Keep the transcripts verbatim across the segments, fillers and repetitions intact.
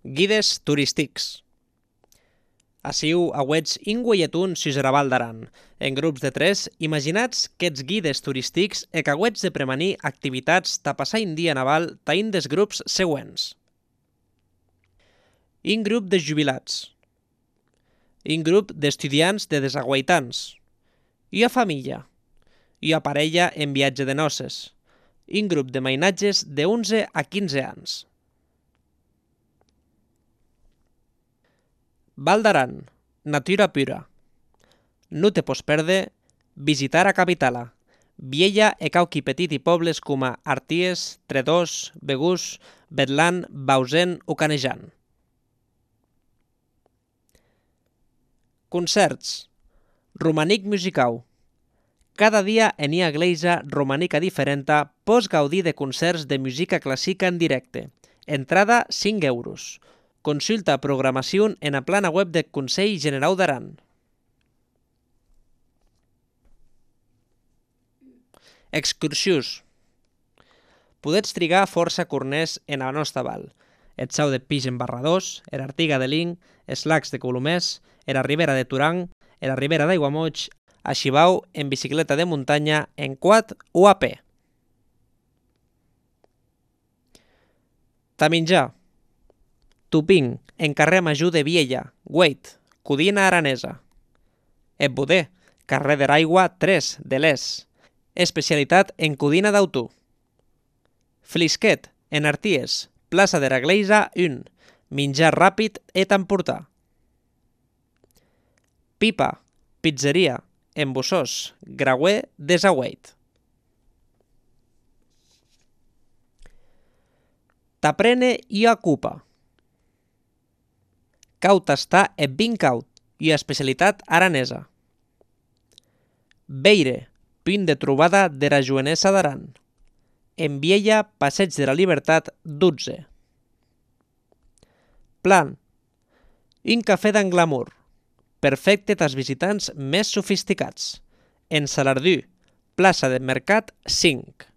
Guides turístics. Aciu auetz inguelletun sus era Val d'Aran. En grups de tres, imaginats qu'ets guides turístics e qu'auetz de premanir activitats ta passar un dia naval ta un des grups següents. Un grup de jubilats. Un grup d'estudiants de desaguaitants. Ua família. Ua parella en viatge de noces. Un grup de mainatges de onze a quinze anys. Val d'Aran, natura pura. No te pots perdre visitar a capitala. Viella e cauqui petiti pobles coma Arties, Tredòs, Begús, Betlan, Bausen o Canejan. Concerts. Romanic musicau. Cada dia en una iglesia romanica diferenta pots gaudir de concerts de música clàssica en directe. Entrada cinc euros. Consulta programació en la plana web del Consell Generau d'Aran. Excursions. Podets trigar força corners en la nostra val. Et sau de Pix en Barradós, era Artiga de Lin, els lacs de Colomers, era Ribera de Turang, era Ribera d'Aiguamoig, a Xibau en bicicleta de muntanya, en quad o a peu. Ta menjar. Tuping, en carrer Major de Viella, Güeit, Codina Aranesa. Et Boder, carrer de l'Aigua tres, de l'Es. Especialitat en codina d'autú. Flisquet, en Arties, plaça de la Gleisa un, menjar ràpid et emportar. Pipa, pizzeria, en Bossós, Grauer d'Esagüeit. T'aprene i ocupa. Cau tastar et vin caut, i especialitat aranesa. Beire, punt de trobada de la Joanesa d'Aran. En Viella, Passeig de la Libertat dotze. Plan. Un cafè d'englamur. Perfecte tals visitants més sofisticats. En Salardú, plaça de Mercat cinc.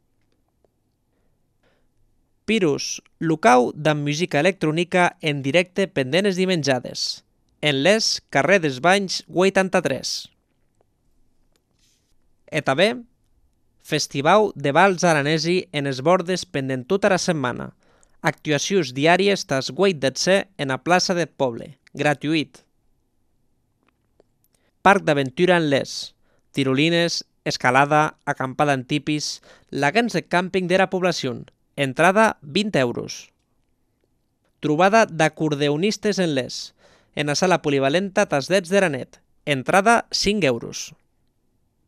Pirus, locau d'amb música electrònica en directe pendent les dimenjades. En l'Es, carrer dels Banys, vuitanta-tres. E també, Festivau de Vals Aranesi en es bordes pendent tota la setmana. Actuacions diàries tas vuit d'etze en la plaça del poble. Gratuït. Parc d'aventura en l'Es. Tirolines, escalada, acampada en tipis, lagans de càmping de la població. Entrada vint euros. Trobada d'acordeonistes en l'Es. En la sala polivalenta tas dets de la net. Entrada cinc euros.